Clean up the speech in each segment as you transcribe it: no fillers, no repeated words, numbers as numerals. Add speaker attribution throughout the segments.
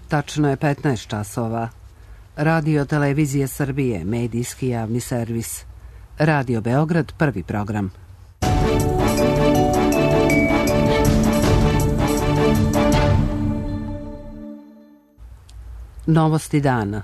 Speaker 1: Tačno je 15 časova. Radio Televizije Srbije, medijski javni servis. Radio Beograd, prvi program. Novosti dana.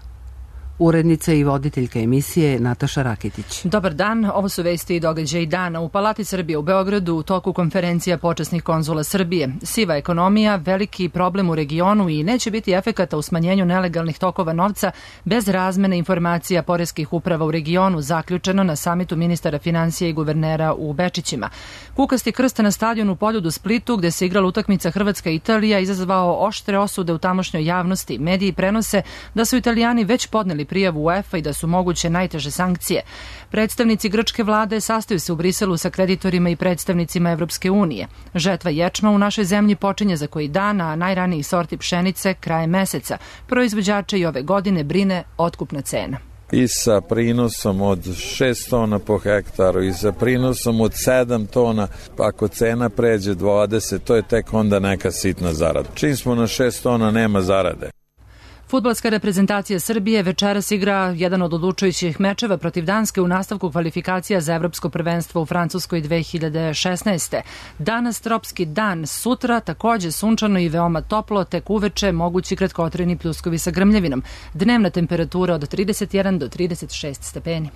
Speaker 1: Urednica i voditeljka emisije Nataša Rakitić.
Speaker 2: Dobar dan, ovo su vesti i događaji dana. U Palati Srbije u Beogradu u toku konferencija počasnih konzula Srbije. Siva ekonomija, veliki problem u regionu i neće biti efekata u smanjenju nelegalnih tokova novca bez razmene informacija poreskih uprava u regionu, zaključeno na samitu ministara finansija i guvernera u Bečićima. Kukasti krst na stadionu Poljud u Splitu, gde se igrala utakmica Hrvatska-Italija, izazvao oštre osude u tamošnjoj javnosti. Mediji prenose da su Italijani već podneli prijavu UEFA i da su moguće najteže sankcije. Predstavnici grčke vlade sastaju se u Briselu sa kreditorima i predstavnicima Evropske unije. Žetva ječma u našoj zemlji počinje za koji dan, a najraniji sorti pšenice krajem meseca. Proizvođače i ove godine brine otkupna cena.
Speaker 3: I sa prinosom od 6 tona po hektaru i sa prinosom od 7 tona, ako cena pređe 20, to je tek onda neka sitna zarada. Čim smo na 6 tona nema zarade.
Speaker 2: Fudbalska reprezentacija Srbije večeras igra jedan od odlučujućih mečeva protiv Danske u nastavku kvalifikacija za Evropsko prvenstvo u Francuskoj 2016. Danas tropski dan, sutra takođe sunčano i veoma toplo, tek uveče mogući kratkotrajni pljuskovi sa grmljavinom. Dnevna temperatura od 31 do 36 stepeni.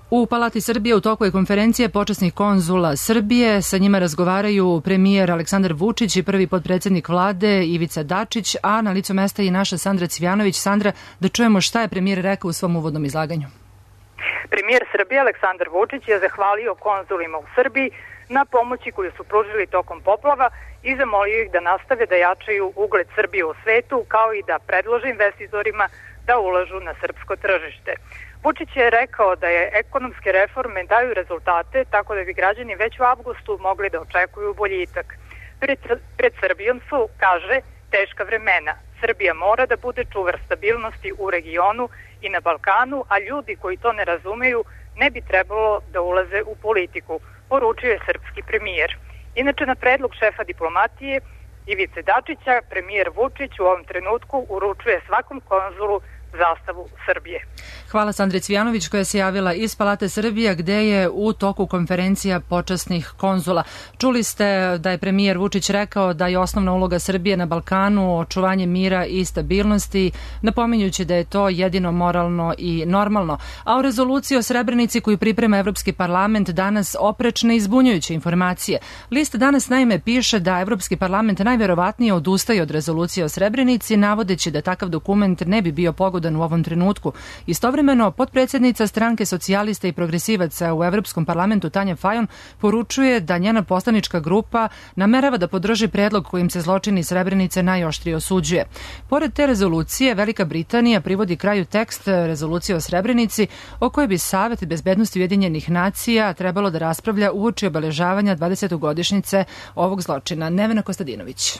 Speaker 2: U Palati Srbije u toku je konferencija počasnih konzula Srbije. Sa njima razgovaraju premijer Aleksandar Vučić i prvi potpredsednik vlade Ivica Dačić, a na licu mesta i naša Sandra Cvijanović. Sandra, da čujemo šta je premijer rekao u svom uvodnom izlaganju.
Speaker 4: Premijer Srbije Aleksandar Vučić je zahvalio konzulima u Srbiji na pomoći koju su pružili tokom poplava i zamolio ih da nastave da jačaju ugled Srbije u svetu, kao i da predlože investitorima da ulažu na srpsko tržište. Vučić je rekao da je ekonomske reforme daju rezultate, tako da bi građani već u avgustu mogli da očekuju boljitak. Pred Srbijom su, kaže, teška vremena. Srbija mora da bude čuvar stabilnosti u regionu i na Balkanu, a ljudi koji to ne razumeju ne bi trebalo da ulaze u politiku, poručio je srpski premijer. Inače, na predlog šefa diplomatije Ivice Dačića, premijer Vučić u ovom trenutku uručuje svakom konzulu zastavu Srbije.
Speaker 2: Hvala Sandri Cvijanović koja se javila iz Palate Srbije gde je u toku konferencija počasnih konzula. Čuli ste da je premijer Vučić rekao da je osnovna uloga Srbije na Balkanu očuvanje mira i stabilnosti, napominjući da je to jedino moralno i normalno. A u rezoluciji o Srebrenici koju priprema Evropski parlament danas oprečne i zbunjujuće informacije. List danas naime piše da Evropski parlament najverovatnije odustaje od rezolucije o Srebrenici, navodeći da takav dokument ne bi bio pogodan u ovom trenutku. Istovremeno, potpredsjednica stranke socijalista i progresivaca u Evropskom parlamentu Tanja Fajon poručuje da njena poslanička grupa namerava da podrži predlog kojim se zločini Srebrenice najoštrije osuđuje. Pored te rezolucije, Velika Britanija privodi kraju tekst rezolucije o Srebrenici o kojoj bi Savet bezbednosti Ujedinjenih nacija trebalo da raspravlja uoči obeležavanja 20. godišnjice ovog zločina. Nevena Kostadinović.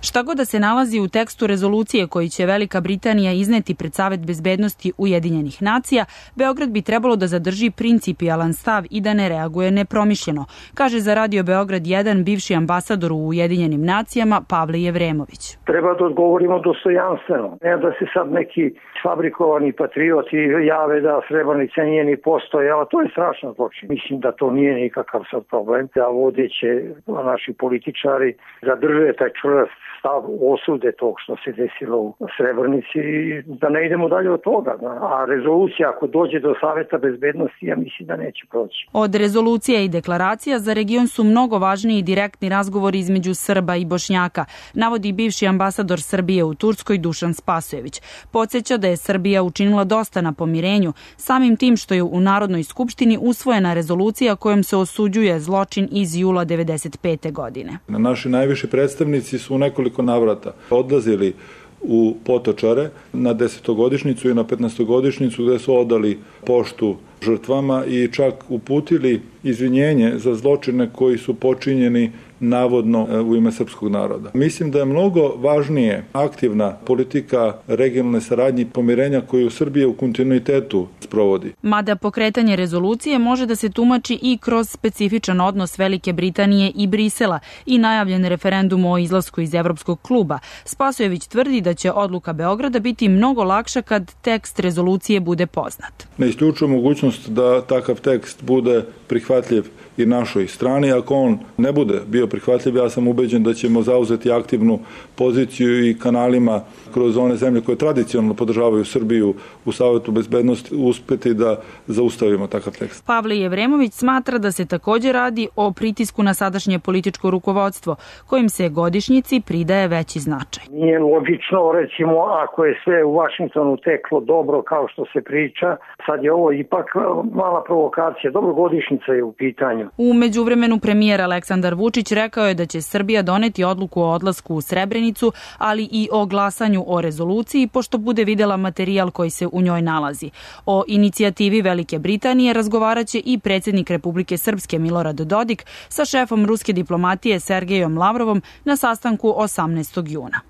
Speaker 5: Šta god da se nalazi u tekstu rezolucije koji će Velika Britanija izneti pred Savet bezbednosti Ujedinjenih nacija, Beograd bi trebalo da zadrži principijalan stav i da ne reaguje nepromišljeno, kaže za Radio Beograd 1 bivši ambasador u Ujedinjenim nacijama Pavle Jevremović.
Speaker 6: Treba da odgovorimo dostojanstveno, ne da se sad neki fabrikovani patrioti jave da Srebrenica nije ni postojala, to je strašno zločin. Mislim da to nije nikakav sad problem, da vodeće naši političari zadrže taj čvrst stav osude tog što se desilo u Srebrenici i da ne idemo dalje od toga. A rezolucija ako dođe do Saveta bezbednosti, ja mislim da neće proći.
Speaker 5: Od rezolucija i deklaracija za region su mnogo važniji direktni razgovori između Srba i Bošnjaka, navodi bivši ambasador Srbije u Turskoj Dušan Spasojević. Podsjeća da je Srbija učinila dosta na pomirenju, samim tim što je u Narodnoj skupštini usvojena rezolucija kojom se osuđuje zločin iz jula 1995. godine.
Speaker 7: Naši najviši predstavnici su u nekoliko navrata odlazili u Potočare na 10-godišnjicu i na 15-godišnjicu gde su odali poštu žrtvama i čak uputili izvinjenje za zločine koji su počinjeni navodno u ime srpskog naroda. Mislim da je mnogo važnije aktivna politika regionalne saradnje i pomirenja koju Srbija u kontinuitetu sprovodi.
Speaker 5: Mada pokretanje rezolucije može da se tumači i kroz specifičan odnos Velike Britanije i Brisela i najavljen referendum o izlasku iz Evropskog kluba, Spasojević tvrdi da će odluka Beograda biti mnogo lakša kad tekst rezolucije bude poznat.
Speaker 7: Ne isključuje mogućnost da takav tekst bude prihvatljiv i našoj strani. Ako on ne bude bio prihvatljiv, ja sam ubeđen da ćemo zauzeti aktivnu poziciju i kanalima kroz one zemlje koje tradicionalno podržavaju Srbiju u Savetu bezbednosti uspeti da zaustavimo takav tekst.
Speaker 5: Pavle Jevremović smatra da se također radi o pritisku na sadašnje političko rukovodstvo, kojim se godišnjici pridaje veći značaj.
Speaker 6: Nije logično, recimo, ako je sve u Vašingtonu teklo dobro kao što se priča, sad je ovo ipak mala provokacija. Dobro, godišnjica je u pitanju.
Speaker 5: U međuvremenu premijer Aleksandar Vučić rekao je da će Srbija doneti odluku o odlasku u Srebrenicu, ali i o glasanju o rezoluciji, pošto bude videla materijal koji se u njoj nalazi. O inicijativi Velike Britanije razgovaraće i predsjednik Republike Srpske Milorad Dodik sa šefom ruske diplomatije Sergejom Lavrovom na sastanku 18. juna.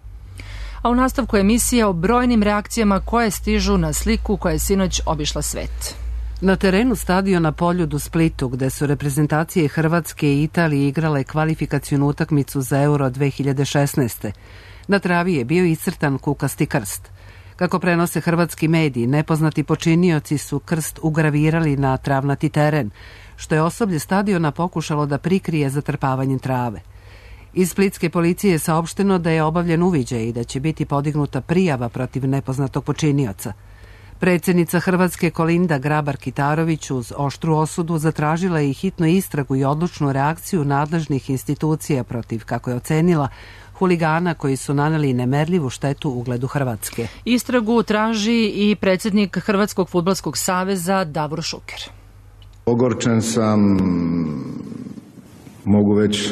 Speaker 2: A u nastavku emisije o brojnim reakcijama koje stižu na sliku koja je sinoć obišla svet.
Speaker 1: Na terenu stadiona Poljud u Splitu, gde su reprezentacije Hrvatske i Italije igrale kvalifikacionu utakmicu za Euro 2016. Na travi je bio iscrtan kukasti krst. Kako prenose hrvatski mediji, nepoznati počinioci su krst ugravirali na travnati teren, što je osoblje stadiona pokušalo da prikrije zatrpavanjem trave. Iz splitske policije je saopšteno da je obavljen uviđaj i da će biti podignuta prijava protiv nepoznatog počinioca. Predsjednica Hrvatske Kolinda Grabar-Kitarović uz oštru osudu zatražila je i hitnu istragu i odlučnu reakciju nadležnih institucija protiv, kako je ocenila, huligana koji su naneli nemerljivu štetu ugledu Hrvatske.
Speaker 2: Istragu traži i predsjednik Hrvatskog fudbalskog saveza Davor Šuker.
Speaker 8: Ogorčen sam, mogu već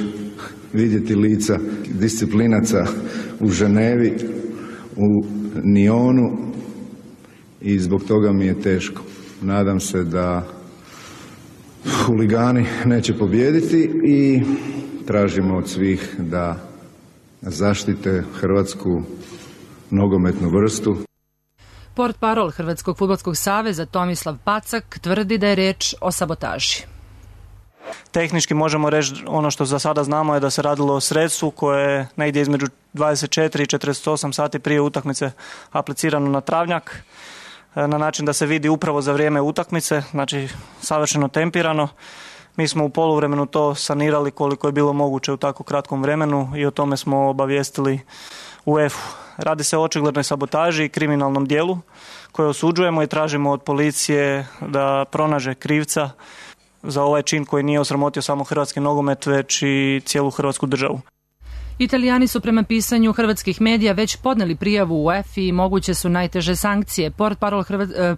Speaker 8: vidjeti lica disciplinaca u Ženevi, u Nionu i zbog toga mi je teško. Nadam se da huligani neće pobijediti i tražimo od svih da zaštite hrvatsku nogometnu vrstu.
Speaker 2: Portparol Hrvatskog fudbalskog saveza Tomislav Pacak tvrdi da je reč o sabotaži.
Speaker 9: Tehnički možemo reći, ono što za sada znamo je da se radilo o sredstvu koje je negdje između 24 i 48 sati prije utakmice aplicirano na travnjak na način da se vidi upravo za vrijeme utakmice, znači savršeno tempirano. Mi smo u poluvremenu to sanirali koliko je bilo moguće u tako kratkom vremenu i o tome smo obavijestili UEFA. Radi se o očiglednoj sabotaži i kriminalnom dijelu koje osuđujemo i tražimo od policije da pronaže krivca za ovaj čin koji nije osramotio samo hrvatski nogomet, već i cijelu hrvatsku državu.
Speaker 2: Italijani su prema pisanju hrvatskih medija već podneli prijavu u UEFA i moguće su najteže sankcije.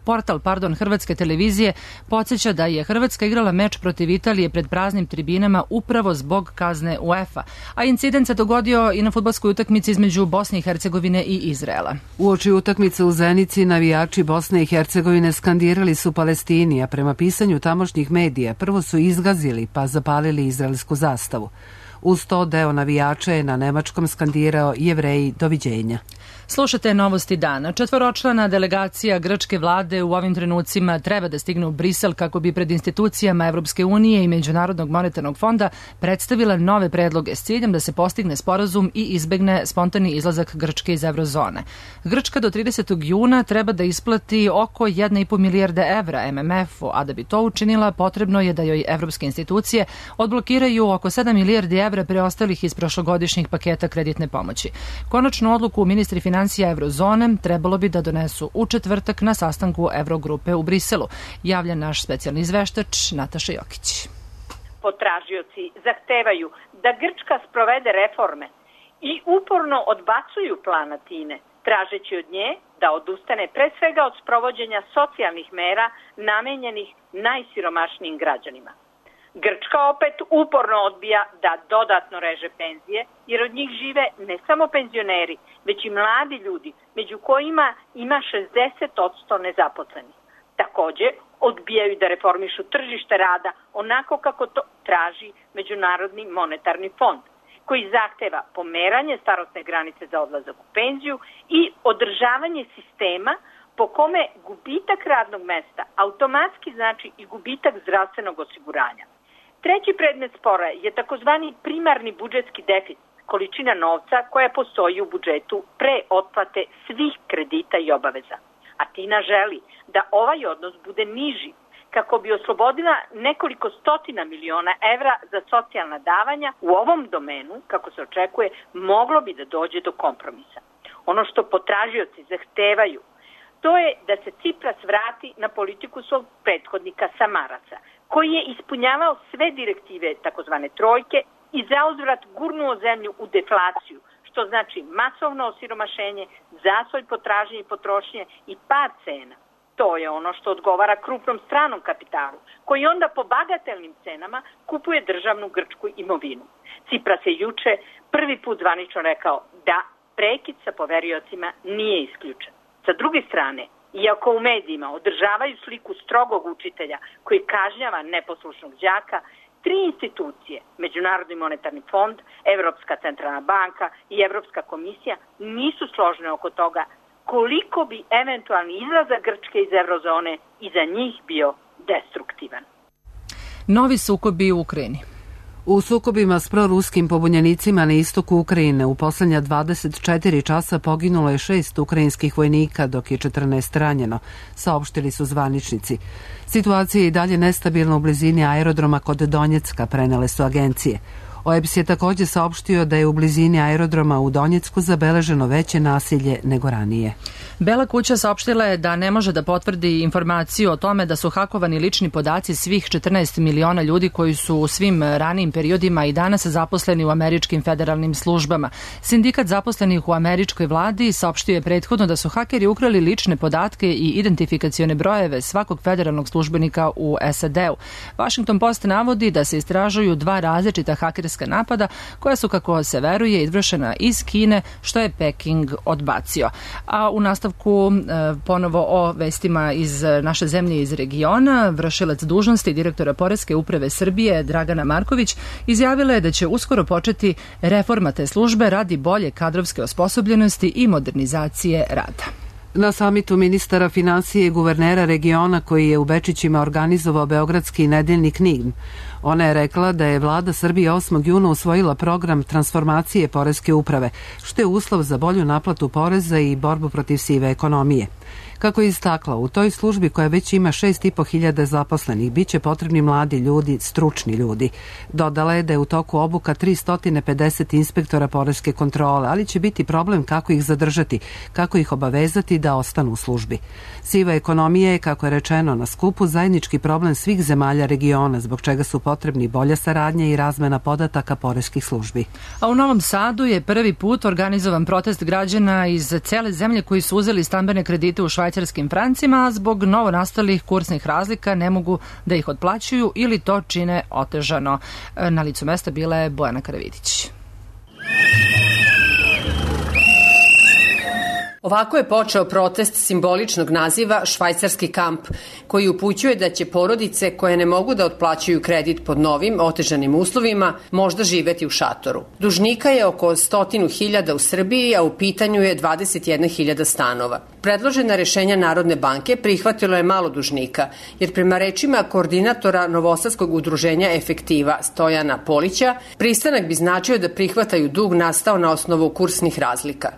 Speaker 2: Portal Hrvatske televizije podsjeća da je Hrvatska igrala meč protiv Italije pred praznim tribinama upravo zbog kazne UEFA, a incident se dogodio i na fudbalskoj utakmici između Bosne i Hercegovine i Izraela.
Speaker 1: Uoči utakmice u Zenici navijači Bosne i Hercegovine skandirali su Palestini, a prema pisanju tamošnjih medija prvo su izgazili pa zapalili izraelsku zastavu. Uz to deo navijača je na nemačkom skandirao Jevreji doviđenja.
Speaker 2: Slušate novosti dana. 4-člana delegacija grčke vlade u ovim trenucima treba da stigne u Brisel kako bi pred institucijama Evropske unije i Međunarodnog monetarnog fonda predstavila nove predloge s ciljem da se postigne sporazum i izbegne spontani izlazak Grčke iz eurozone. Grčka do 30. juna treba da isplati oko 1,5 milijarde evra MMF-u, a da bi to učinila potrebno je da joj evropske institucije odblokiraju oko 7 milijardi evra preostalih iz prošlogodišnjih paketa kreditne pomoći. Konačnu odluku ministri financija eurozone trebalo bi da donesu u četvrtak na sastanku Eurogrupe u Briselu, javlja naš specijalni izveštač Nataša Jokić.
Speaker 10: Potražioci zahtevaju da Grčka sprovede reforme i uporno odbacuju plan Atine, tražeći od nje da odustane pre svega od sprovođenja socijalnih mera namenjenih najsiromašnijim građanima. Grčka opet uporno odbija da dodatno reže penzije, jer od njih žive ne samo penzioneri, već i mladi ljudi, među kojima ima 60% nezaposlenih. Takođe, odbijaju da reformišu tržište rada onako kako to traži Međunarodni monetarni fond, koji zahteva pomeranje starosne granice za odlazak u penziju i održavanje sistema po kome gubitak radnog mesta automatski znači i gubitak zdravstvenog osiguranja. Treći predmet spora je takozvani primarni budžetski deficit, količina novca koja postoji u budžetu pre otplate svih kredita i obaveza. Atina želi da ovaj odnos bude niži kako bi oslobodila nekoliko stotina miliona evra za socijalna davanja. U ovom domenu, kako se očekuje, moglo bi da dođe do kompromisa. Ono što potražioci zahtevaju, to je da se Cipras vrati na politiku svog prethodnika Samaraca, koji je ispunjavao sve direktive takozvane trojke i zauzvrat gurnuo zemlju u deflaciju, što znači masovno osiromašenje, zastoj potražnje i potrošnje i pad cena. To je ono što odgovara krupnom stranom kapitalu, koji onda po bagatelnim cenama kupuje državnu grčku imovinu. Cipras je juče prvi put zvanično rekao da prekid sa poveriocima nije isključen. Sa druge strane, iako u medijima održavaju sliku strogog učitelja koji kažnjava neposlušnog đaka, tri institucije, Međunarodni monetarni fond, Evropska centralna banka i Evropska komisija, nisu složne oko toga koliko bi eventualni izlazak Grčke iz eurozone i za njih bio destruktivan.
Speaker 2: Novi sukobi u Ukrajini.
Speaker 1: U sukobima s proruskim pobunjenicima na istoku Ukrajine u poslednja 24 časa poginulo je 6 ukrajinskih vojnika, dok je 14 ranjeno, saopštili su zvaničnici. Situacija je i dalje nestabilna u blizini aerodroma kod Donjecka, prenele su agencije. OEBS je također saopštio da je u blizini aerodroma u Donjecku zabeleženo veće nasilje nego ranije.
Speaker 2: Bela kuća saopštila je da ne može da potvrdi informaciju o tome da su hakovani lični podaci svih 14 miliona ljudi koji su u svim ranijim periodima i danas zaposleni u američkim federalnim službama. Sindikat zaposlenih u američkoj vladi saopštio je prethodno da su hakeri ukrali lične podatke i identifikacione brojeve svakog federalnog službenika u SAD-u. Washington Post navodi da se istražuju dva različita hakerska napada koja su, kako se veruje, izvršena iz Kine, što je Peking odbacio. A u nastavku ponovo o vestima iz naše zemlje i iz regiona, vršilac dužnosti direktora Poreske uprave Srbije Dragana Marković izjavila je da će uskoro početi reforma te službe radi bolje kadrovske osposobljenosti i modernizacije rada.
Speaker 1: Na samitu ministara finansije i guvernera regiona koji je u Bečićima organizovao beogradski nedeljnik NIN, ona je rekla da je vlada Srbije 8. juna usvojila program transformacije Poreske uprave, što je uslov za bolju naplatu poreza i borbu protiv sive ekonomije. Kako je istakla, u toj službi koja već ima 6.500 zaposlenih, bit će potrebni mladi ljudi, stručni ljudi. Dodala je da je u toku obuka 350 inspektora poreske kontrole, ali će biti problem kako ih zadržati, kako ih obavezati da ostanu u službi. Siva ekonomija je, kako je rečeno na skupu, zajednički problem svih zemalja regiona, zbog čega su potrebni bolja saradnja i razmena podataka poreskih službi.
Speaker 2: A u Novom Sadu je prvi put organizovan protest građana iz cele zemlje koji su uzeli stambene kredite u švajcarskim francima, a zbog novonastalih kursnih razlika ne mogu da ih otplaćuju ili to čine otežano. Na licu mesta bila je Bojana Karavidić.
Speaker 11: Ovako je počeo protest simboličnog naziva Švajcarski kamp, koji upućuje da će porodice koje ne mogu da otplaćuju kredit pod novim, otežanim uslovima, možda živeti u šatoru. Dužnika je oko 100.000 u Srbiji, a u pitanju je 21.000 stanova. Predložena rešenja Narodne banke prihvatilo je malo dužnika, jer prema rečima koordinatora Novosadskog udruženja Efektiva Stojana Polića, pristanak bi značio da prihvataju dug nastao na osnovu kursnih razlika.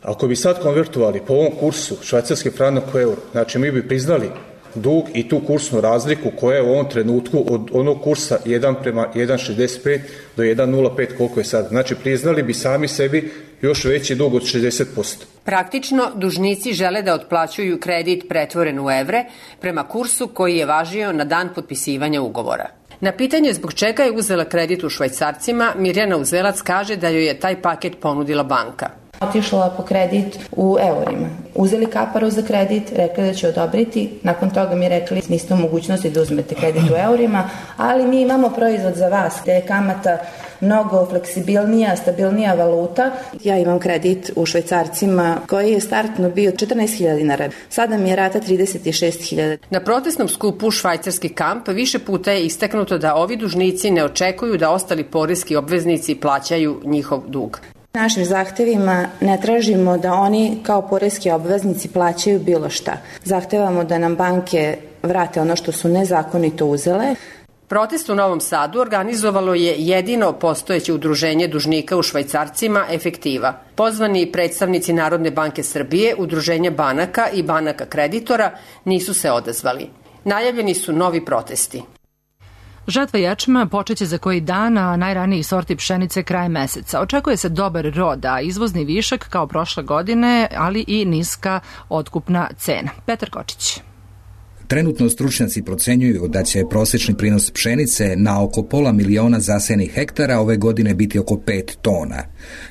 Speaker 12: Ako bi sad konvertovali po ovom kursu švajcarski franak u euro, znači mi bi priznali dug i tu kursnu razliku koja je u ovom trenutku od onog kursa 1:1,65 do 1,05 koliko je sad. Znači priznali bi sami sebi još veći dug od 60%.
Speaker 11: Praktično, dužnici žele da otplaćuju kredit pretvoren u evre prema kursu koji je važio na dan potpisivanja ugovora. Na pitanje zbog čega je uzela kredit u švajcarcima, Mirjana Uzelac kaže da joj je taj paket ponudila banka.
Speaker 13: Otišla po kredit u eurima. Uzeli kaparu za kredit, rekli da će odobriti, nakon toga mi rekli niste u mogućnosti da uzmete kredit u eurima, ali mi imamo proizvod za vas, gde je kamata mnogo fleksibilnija, stabilnija valuta. Ja imam kredit u švajcarcima koji je startno bio 14.000 dinara. Sada mi je rata 36.000.
Speaker 11: Na protestnom skupu Švajcarski kamp više puta je istaknuto da ovi dužnici ne očekuju da ostali poreski obveznici plaćaju njihov dug.
Speaker 13: Našim zahtevima ne tražimo da oni kao poreski obveznici plaćaju bilo šta. Zahtevamo da nam banke vrate ono što su nezakonito uzele.
Speaker 11: Protest u Novom Sadu organizovalo je jedino postojeće udruženje dužnika u švajcarcima Efektiva. Pozvani predstavnici Narodne banke Srbije, udruženja banaka i banaka kreditora nisu se odazvali. Najavljeni su novi protesti.
Speaker 2: Žetva ječma počeće za koji dan, a najraniji sorti pšenice kraj meseca. Očekuje se dobar rod, a izvozni višak kao prošle godine, ali i niska otkupna cena. Petar Kočić.
Speaker 14: Trenutno stručnjaci procenjuju da će prosječni prinos pšenice na oko 500.000 zasejenih hektara ove godine biti oko 5 tona.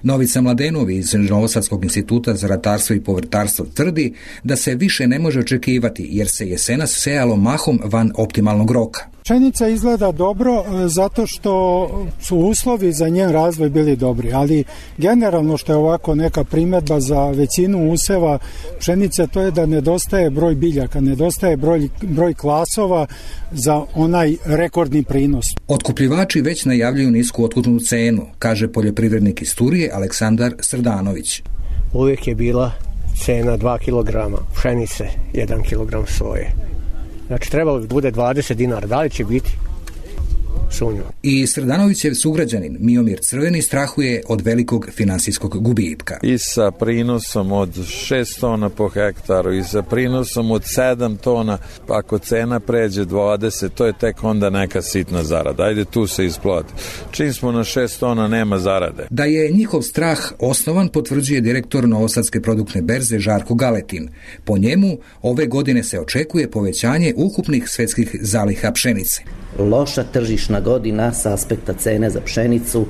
Speaker 14: Novica Mladenov iz Novosadskog instituta za ratarstvo i povrtarstvo tvrdi da se više ne može očekivati jer se jesenas sejalo mahom van optimalnog roka.
Speaker 15: Pšenica izgleda dobro zato što su uslovi za njen razvoj bili dobri, ali generalno što je ovako neka primjedba za većinu useva pšenice, to je da nedostaje broj biljaka, nedostaje broj klasova za onaj rekordni prinos.
Speaker 14: Otkupljivači već najavljuju nisku otkupnu cenu, kaže poljoprivrednik iz Turije Aleksandar Srdanović.
Speaker 16: Uvijek je bila cena 2 kg pšenice, 1 kg soje. Znači trebalo bi bude 20 dinara, da li će biti? Sumnjam.
Speaker 14: I Srdanovićev sugrađanin Miomir Crveni strahuje od velikog finansijskog gubitka.
Speaker 3: I sa prinosom od 6 tona po hektaru i sa prinosom od 7 tona, ako cena pređe 20, to je tek onda neka sitna zarada. Ajde tu se isplati. Čim smo na 6 tona nema zarade.
Speaker 14: Da je njihov strah osnovan potvrđuje direktor Novosadske produktne berze Žarko Galetin. Po njemu ove godine se očekuje povećanje ukupnih svetskih zaliha pšenice.
Speaker 17: Loša tržišna godina sa aspekta cene za pšenicu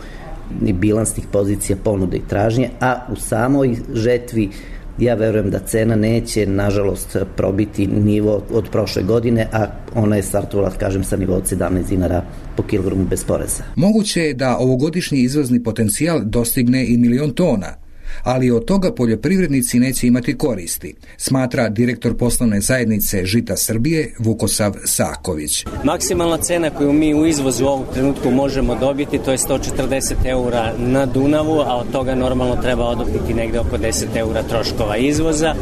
Speaker 17: i bilansnih pozicija ponude i tražnje, a u samoj žetvi ja verujem da cena neće, nažalost, probiti nivo od prošle godine, a ona je startovala, kažem, sa nivo od 17 dinara po kilogramu bez poreza.
Speaker 14: Moguće je da ovogodišnji izvozni potencijal dostigne i 1.000.000 tona, ali od toga poljoprivrednici neće imati koristi, smatra direktor poslovne zajednice Žita Srbije Vukosav Saković.
Speaker 18: Maksimalna cena koju mi u izvozu u ovom trenutku možemo dobiti, to je 140 eura na Dunavu, a od toga normalno treba odopiti negde oko 10 eura troškova izvoza.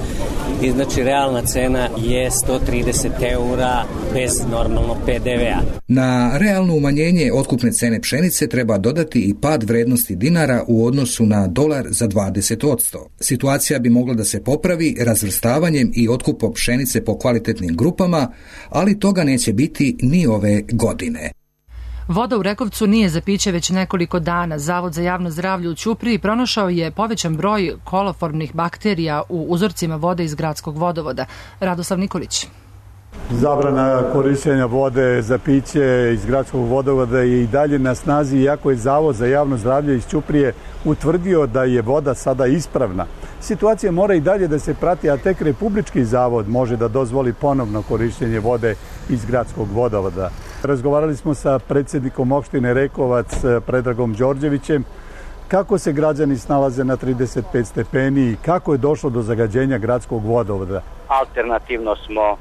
Speaker 18: I znači realna cena je 130 eura bez normalno PDV-a.
Speaker 14: Na realno umanjenje otkupne cene pšenice treba dodati i pad vrednosti dinara u odnosu na dolar za 20%. Situacija bi mogla da se popravi razvrstavanjem i otkupom pšenice po kvalitetnim grupama, ali toga neće biti ni ove godine.
Speaker 2: Voda u Rekovcu nije za piće već nekoliko dana. Zavod za javno zdravlje u Ćupriji pronašao je povećan broj koloformnih bakterija u uzorcima vode iz gradskog vodovoda. Radoslav Nikolić.
Speaker 19: Zabrana korišćenja vode za piće iz gradskog vodovoda je i dalje na snazi, iako je Zavod za javno zdravlje iz Ćuprije utvrdio da je voda sada ispravna. Situacija mora i dalje da se prati, a tek Republički zavod može da dozvoli ponovno korišćenje vode iz gradskog vodovoda. Razgovarali smo sa predsjednikom opštine Rekovac, Predragom Đorđevićem, kako se građani snalaze na 35 stepeni i kako je došlo do zagađenja gradskog vodovoda.
Speaker 20: Alternativno smo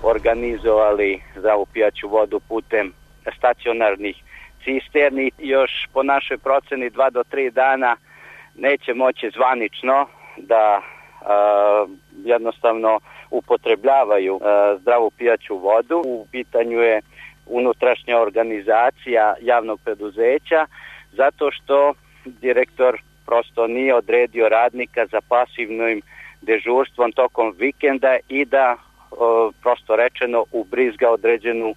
Speaker 20: organizovali zdravu pijaću vodu putem stacionarnih cisterni. Još po našoj proceni 2 do 3 dana neće moći zvanično da jednostavno upotrebljavaju zdravu pijaću vodu. U pitanju je unutrašnja organizacija javnog preduzeća zato što direktor prosto nije odredio radnika za pasivnim dežurstvom tokom vikenda i da prosto rečeno ubrizga određenu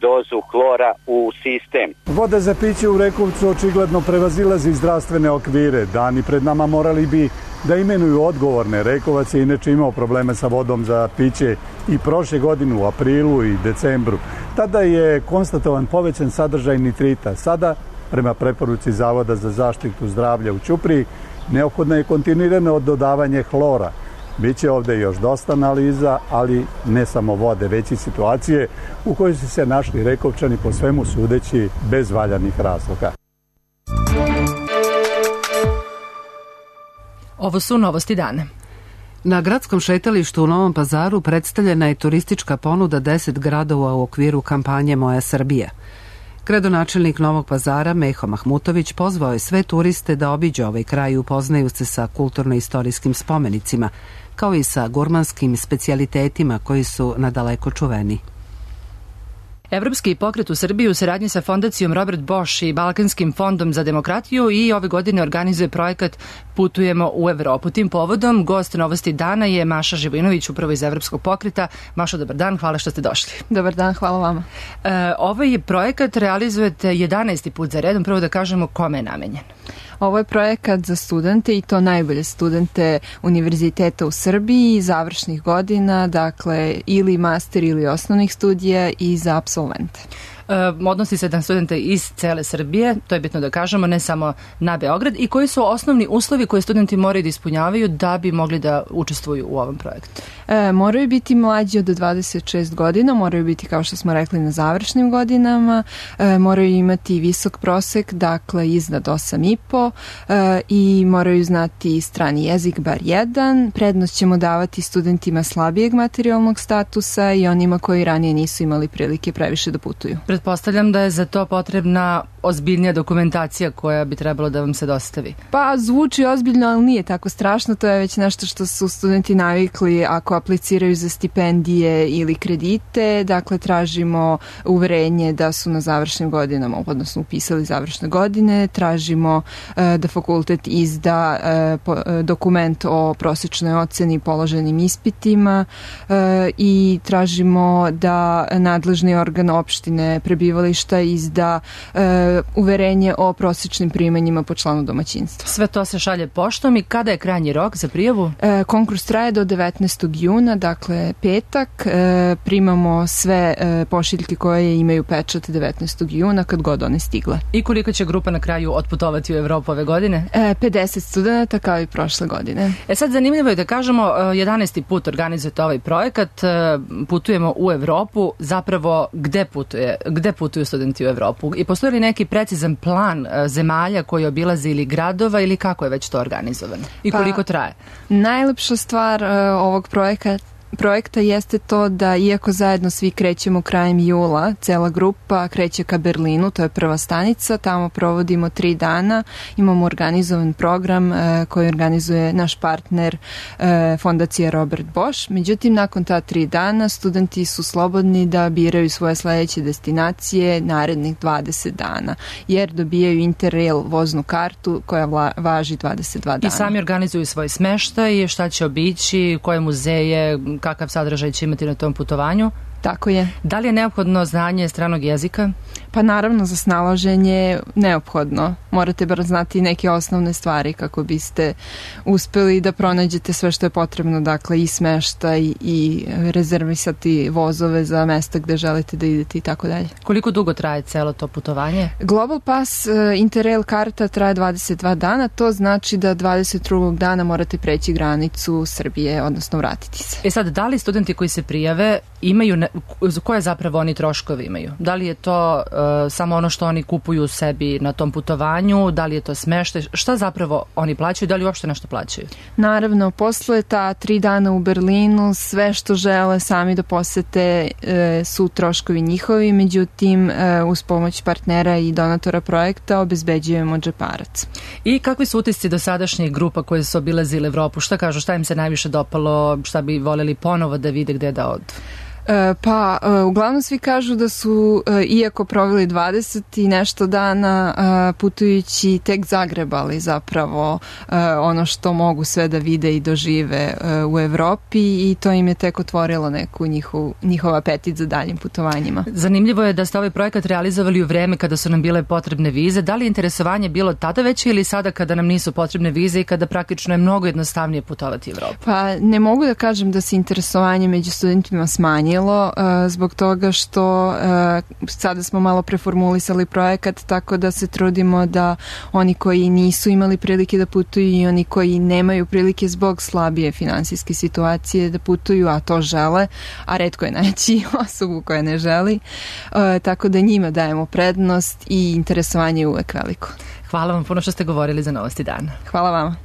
Speaker 20: dozu hlora u sistem.
Speaker 19: Voda za piće u Rekovcu očigledno prevazilazi zdravstvene okvire. Dani pred nama morali bi da imenuju odgovorne. Rekovac je inače imao probleme sa vodom za piće i prošle godine u aprilu i decembru. Tada je konstatovan povećan sadržaj nitrita. Sada, prema preporuci Zavoda za zaštitu zdravlja u Ćupriji, Neophodno je kontinuirano dodavanje hlora. Biće ovde još dosta analiza, ali ne samo vode, već i situacije u kojoj su se našli Rekovčani po svemu sudeći bez valjanih razloga.
Speaker 2: Ovo su novosti dana.
Speaker 1: Na gradskom šetalištu u Novom Pazaru predstavljena je turistička ponuda 10 gradova u okviru kampanje Moja Srbija. Gradonačelnik Novog Pazara Meho Mahmutović pozvao je sve turiste da obiđu ovaj kraj i upoznaju se sa kulturno-istorijskim spomenicima, kao i sa gurmanskim specijalitetima koji su nadaleko čuveni.
Speaker 2: Evropski pokret u Srbiji u saradnji sa fondacijom Robert Bosch i Balkanskim fondom za demokratiju i ove godine organizuje projekat Putujemo u Evropu. Tim povodom gost novosti dana je Maša Živojinović, upravo iz Evropskog pokreta. Maša, dobar dan, hvala što ste došli.
Speaker 21: Dobar dan, hvala vama.
Speaker 2: Ovaj projekat realizujete 11. put za redom. Prvo da kažemo kome je namenjen.
Speaker 21: Ovo je projekat za studente i to najbolje studente univerziteta u Srbiji, završnih godina, dakle ili master ili osnovnih studija i za apsolvente.
Speaker 2: Odnosi se na studente iz cele Srbije, to je bitno da kažemo, ne samo na Beograd. I koji su osnovni uslovi koje studenti moraju da ispunjavaju da bi mogli da učestvuju u ovom projektu?
Speaker 21: Moraju biti mlađi od 26 godina, moraju biti, kao što smo rekli, na završnim godinama, moraju imati visok prosek, dakle iznad 8,5 i moraju znati strani jezik, bar jedan. Prednost ćemo davati studentima slabijeg materijalnog statusa i onima koji ranije nisu imali prilike previše da putuju.
Speaker 2: Pretpostavljam da je za to potrebna ozbiljnija dokumentacija koja bi trebalo da vam se dostavi.
Speaker 21: Pa zvuči ozbiljno, ali nije tako strašno. To je već nešto što su studenti navikli ako apliciraju za stipendije ili kredite. Dakle, tražimo uverenje da su na završnim godinama, odnosno upisali završne godine. Tražimo da fakultet izda dokument o prosečnoj oceni položenim ispitima i tražimo da nadležni organ opštine prebivališta izda uverenje o prosečnim primanjima po članu domaćinstva.
Speaker 2: Sve to se šalje poštom i kada je krajnji rok za prijavu?
Speaker 21: Konkurs traje do 19. juna, dakle petak. Primamo sve pošiljke koje imaju pečat 19. juna kad god one stigle.
Speaker 2: I koliko će grupa na kraju otputovati u Evropu ove godine?
Speaker 21: 50 studenta kao i prošle godine.
Speaker 2: Sad zanimljivo je da kažemo 11. put organizujete ovaj projekat, Putujemo u Evropu. Zapravo gde putuju studenti u Evropu? I postoji li neki precizan plan zemalja koji obilaze ili gradova ili kako je već to organizovano? I koliko traje?
Speaker 21: Najlepša stvar ovog projekta jeste to da iako zajedno svi krećemo krajem jula, cela grupa kreće ka Berlinu, to je prva stanica, tamo provodimo 3 dana, imamo organizovan program koji organizuje naš partner fondacija Robert Bosch. Međutim, nakon ta 3 dana studenti su slobodni da biraju svoje sledeće destinacije narednih 20 dana, jer dobijaju Interrail voznu kartu koja važi 22 dana.
Speaker 2: I sami organizuju svoj smeštaj, šta će obići, koje muzeje, kakav sadržaj će imati na tom putovanju?
Speaker 21: Tako je.
Speaker 2: Da li je neophodno znanje stranog jezika?
Speaker 21: Pa naravno, za snalaženje neophodno. Morate bar znati neke osnovne stvari kako biste uspeli da pronađete sve što je potrebno, dakle i smeštaj i rezervisati vozove za mesta gde želite da idete i tako dalje.
Speaker 2: Koliko dugo traje celo to putovanje?
Speaker 21: Global Pass Interrail karta traje 22 dana, to znači da 22. dana morate preći granicu Srbije, odnosno vratiti se.
Speaker 2: Sad, da li studenti koji se prijave imaju, koje zapravo oni troškovi imaju? Da li je to samo ono što oni kupuju sebi na tom putovanju, da li je to smeštaj, šta zapravo oni plaćaju, da li uopšte nešto plaćaju?
Speaker 21: Naravno, posle ta 3 dana u Berlinu, sve što žele sami da posete su troškovi njihovi, međutim uz pomoć partnera i donatora projekta obezbeđujemo džeparac.
Speaker 2: I kakvi su utisci dosadašnjih grupa koje su obilazile Evropu? Šta kažu, šta im se najviše dopalo, šta bi voljeli ponovo da vide, gde da odu?
Speaker 21: Pa, uglavnom svi kažu da su, iako proveli 20 i nešto dana putujući, tek zagrebali zapravo ono što mogu sve da vide i dožive u Evropi i to im je tek otvorilo neku njihov apetit za daljim putovanjima.
Speaker 2: Zanimljivo je da ste ovaj projekat realizovali u vreme kada su nam bile potrebne vize. Da li je interesovanje bilo tada veće ili sada kada nam nisu potrebne vize i kada praktično je mnogo jednostavnije putovati u Evropu?
Speaker 21: Pa, ne mogu da kažem da se interesovanje među studentima smanjilo. promenilo zbog toga što sada smo malo preformulisali projekat, tako da se trudimo da oni koji nisu imali prilike da putuju i oni koji nemaju prilike zbog slabije finansijske situacije da putuju, a to žele, a retko je naći osobu koja ne želi, tako da njima dajemo prednost i interesovanje je uvek veliko.
Speaker 2: Hvala vam puno što ste govorili za Novosti dana.
Speaker 21: Hvala vama.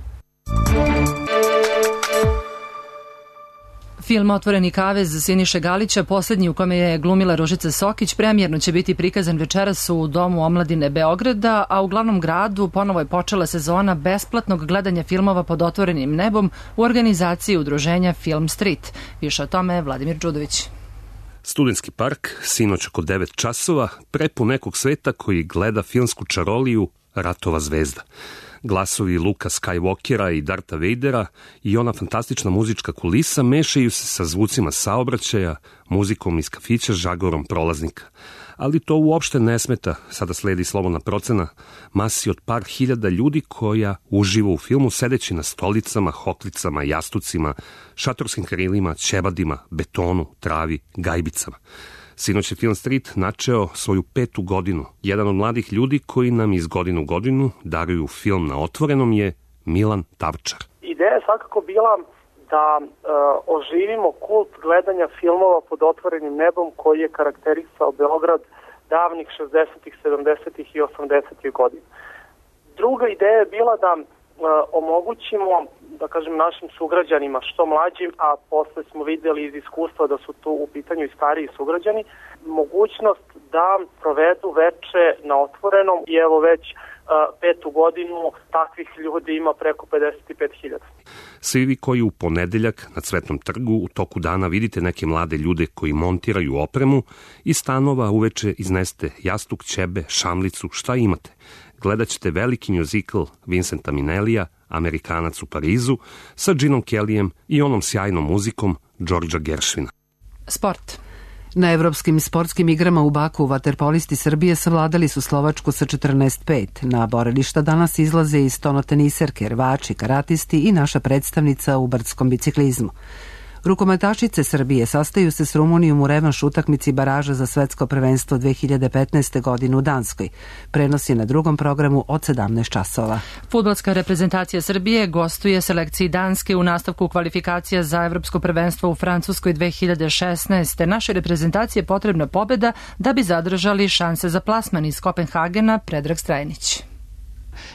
Speaker 2: Film Otvoreni kavez Siniše Galića, poslednji u kome je glumila Ružica Sokić, premijerno će biti prikazan večeras u Domu omladine Beograda, a u glavnom gradu ponovo je počela sezona besplatnog gledanja filmova pod otvorenim nebom u organizaciji udruženja Film Street. Više o tome Vladimir Đudović.
Speaker 4: Studentski park, sinoć oko 9 časova, prepun nekog sveta koji gleda filmsku čaroliju Ratova zvezda. Glasovi Luka Skywalkera i Darta Vadera i ona fantastična muzička kulisa mešaju se sa zvucima saobraćaja, muzikom iz kafića, žagorom prolaznika. Ali to uopšte ne smeta, sada sledi slobodna procena, masi od par hiljada ljudi koja uživa u filmu sedeći na stolicama, hoklicama, jastucima, šatorskim krilima, ćebadima, betonu, travi, gajbicama. Sinoć je Film Street načeo svoju 5. godinu. Jedan od mladih ljudi koji nam iz godine u godinu daruju film na otvorenom je Milan Tavčar.
Speaker 22: Ideja je svakako bila da oživimo kult gledanja filmova pod otvorenim nebom koji je karakterisao Beograd davnih 60-ih, 70-ih i 80-ih godina. Druga ideja je bila da omogućimo, da kažem, našim sugrađanima, što mlađim, a posle smo videli iz iskustva da su tu u pitanju i stariji sugrađani, mogućnost da provedu veče na otvorenom i evo već 5. godinu takvih ljudi ima preko 55.000.
Speaker 4: Svi vi koji u ponedeljak na Cvetnom trgu u toku dana vidite neke mlade ljude koji montiraju opremu, iz stanova uveče izneste jastuk, ćebe, šamlicu, šta imate. Gledat ćete veliki mjuzikl Vincenta Minnellija, Amerikanac u Parizu, sa Ginom Kellyjem i onom sjajnom muzikom Georgea Gershwina.
Speaker 2: Sport.
Speaker 1: Na evropskim sportskim igrama u Baku vaterpolisti Srbije savladali su Slovačku sa 14:5. Na borilišta danas izlaze i stonoteniserke, rvači, karatisti i naša predstavnica u brdskom biciklizmu. Rukometašice Srbije sastaju se s Rumunijom u revanš utakmici baraža za svetsko prvenstvo 2015. godine u Danskoj. Prenos je na drugom programu od 17 časova.
Speaker 2: Fudbalska reprezentacija Srbije gostuje selekciji Danske u nastavku kvalifikacija za evropsko prvenstvo u Francuskoj 2016. Našoj reprezentaciji je potrebna pobeda da bi zadržali šanse za plasman iz Kopenhagena. Predrag Strajnić.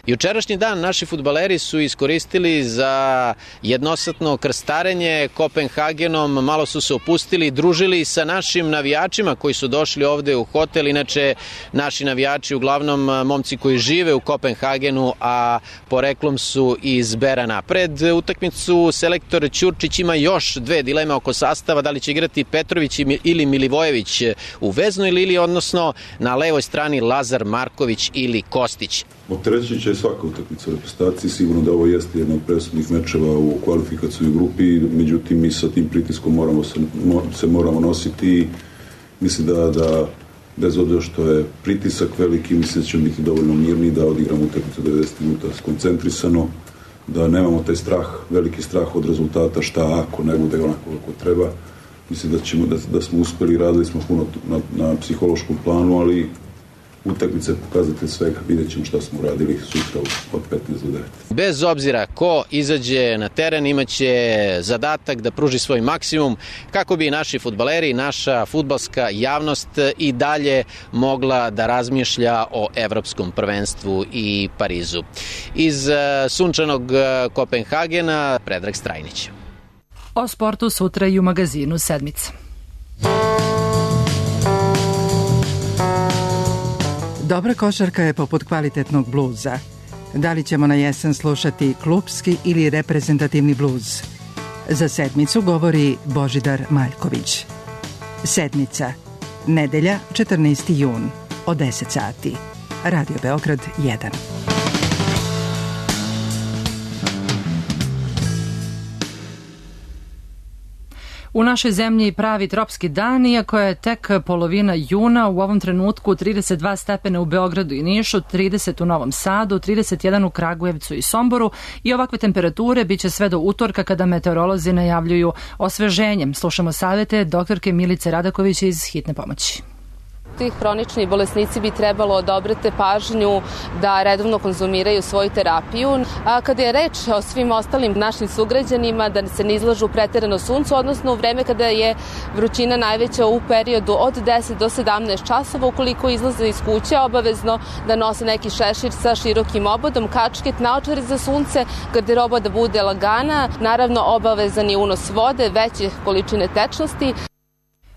Speaker 23: Jučerašnji dan naši fudbaleri su iskoristili za jednosatno krstarenje Kopenhagenom, malo su se opustili, družili sa našim navijačima koji su došli ovde u hotel. Inače, naši navijači uglavnom momci koji žive u Kopenhagenu, a poreklom su iz Berana. Pred utakmicu selektor Ćurčić ima još dve dileme oko sastava, da li će igrati Petrović ili Milivojević u veznoj liniji, odnosno na levoj strani Lazar Marković ili Kostić.
Speaker 24: Opterećit će svaka utakmica u reprezentaciji, sigurno da ovo jeste jedna od presudnih mečeva u kvalifikacijnoj grupi, međutim mi sa tim pritiskom moramo nositi i mislim da bez obzira što je pritisak veliki, mislim da ćemo biti dovoljno mirni da odigramo utakmicu 90 minuta skoncentrisano, da nemamo taj strah, veliki strah od rezultata, šta ako ne bude onako kako treba. Mislim da smo uspeli, radili smo puno na psihološkom planu, ali utakmica je pokazatelj svega, vidjet ćemo šta smo uradili sutra od 15 do 9.
Speaker 23: Bez obzira ko izađe na teren imaće zadatak da pruži svoj maksimum kako bi naši fudbaleri, naša fudbalska javnost i dalje mogla da razmišlja o evropskom prvenstvu i Parizu. Iz sunčanog Kopenhagena, Predrag Strajnić.
Speaker 2: O sportu sutra i u magazinu Sedmica.
Speaker 25: Dobra košarka je poput kvalitetnog bluza. Da li ćemo na jesen slušati klupski ili reprezentativni bluz? Za Sedmicu govori Božidar Maljković. Sedmica. Nedelja, 14. jun. Od 10 sati. Radio Beograd 1.
Speaker 2: U našoj zemlji pravi tropski dan, iako je tek polovina juna, u ovom trenutku 32 stepena u Beogradu i Nišu, 30 u Novom Sadu, 31 u Kragujevcu i Somboru i ovakve temperature biće sve do utorka kada meteorolozi najavljuju osveženjem. Slušamo savete doktorke Milice Radaković iz Hitne pomoći.
Speaker 5: Tih hronični bolesnici bi trebalo odobriti pažnju da redovno konzumiraju svoju terapiju. A kada je reč o svim ostalim našim sugrađanima, da se ne izlažu preterano suncu, odnosno u vreme kada je vrućina najveća u periodu od 10 do 17 časova, ukoliko izlaze iz kuće, obavezno da nose neki šešir sa širokim obodom, kačket, naočare za sunce, garderoba da bude lagana, naravno obavezan je unos vode, veće količine tečnosti.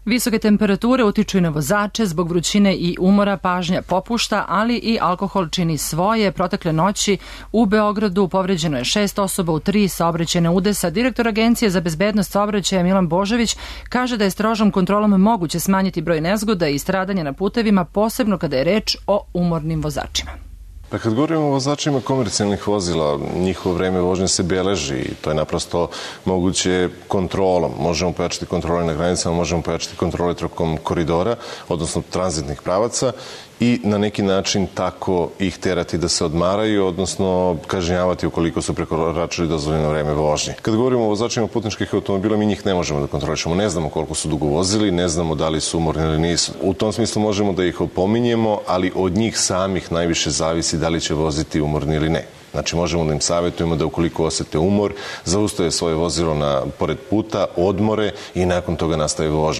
Speaker 2: Visoke temperature utiču i na vozače, zbog vrućine i umora pažnja popušta, ali i alkohol čini svoje. Protekle noći u Beogradu povređeno je 6 osoba u 3 saobraćajne udesa. Direktor Agencije za bezbednost saobraćaja Milan Božović kaže da je strožom kontrolom moguće smanjiti broj nezgoda i stradanja na putevima, posebno kada je reč o umornim vozačima.
Speaker 6: Pa kad govorimo o vozačima komercijalnih vozila, njihovo vreme vožnje se beleži i to je naprosto moguće kontrolom. Možemo pojačati kontrole na granicama, možemo pojačati kontrole tokom koridora, odnosno tranzitnih pravaca i na neki način tako ih terati da se odmaraju, odnosno kažnjavati ukoliko su prekoračili dozvoljeno vreme vožnje. Kad govorimo o vozačima putničkih automobila, mi njih ne možemo da kontrolišemo. Ne znamo koliko su dugo vozili, ne znamo da li su umorni ili nisu. U tom smislu možemo da ih opominjemo, ali od njih samih najviše zavisi da li će voziti umorni ili ne. Znači možemo da im savjetujemo da ukoliko osete umor, zaustave svoje vozilo pored puta, odmore i nakon toga nastave vožnju.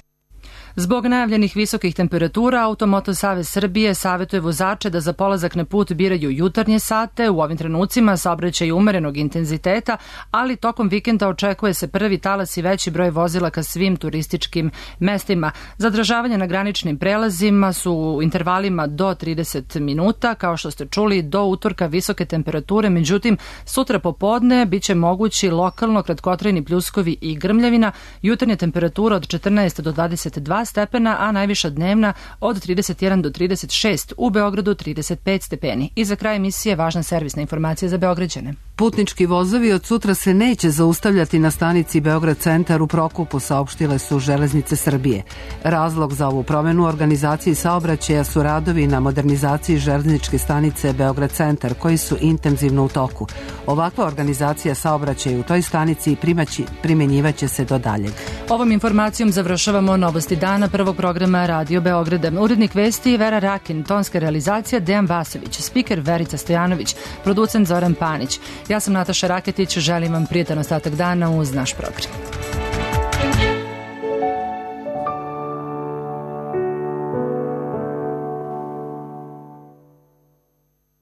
Speaker 2: Zbog najavljenih visokih temperatura, Automoto Savez Srbije savjetuje vozače da za polazak na put biraju jutarnje sate. U ovim trenucima saobraćaj umerenog intenziteta, ali tokom vikenda očekuje se prvi talas i veći broj vozila ka svim turističkim mestima. Zadržavanje na graničnim prelazima su u intervalima do 30 minuta, kao što ste čuli, do utorka visoke temperature, međutim, sutra popodne biće mogući lokalno kratkotrajni pljuskovi i grmljavina, jutarnja temperatura od 14 do 22 stepena, a najviša dnevna od 31 do 36, u Beogradu 35 stepeni. I za kraj emisije važna servisna informacija za Beograđane.
Speaker 1: Putnički vozovi od sutra se neće zaustavljati na stanici Beograd centar u Prokupu, saopštile su Železnice Srbije. Razlog za ovu promenu u organizaciji saobraćaja su radovi na modernizaciji železničke stanice Beograd centar, koji su intenzivno u toku. Ovakva organizacija saobraćaja u toj stanici primenjivaće se do daljeg.
Speaker 2: Ovom informacijom završavamo novosti dana prvog programa Radio Beograda. Urednik vesti Vera Rakin, tonska realizacija Dejan Vasović, spiker Verica Stojanović, producent Zoran Panić. Ja sam Nataša Raketić, želim vam prijetan ostatak dana uz naš program.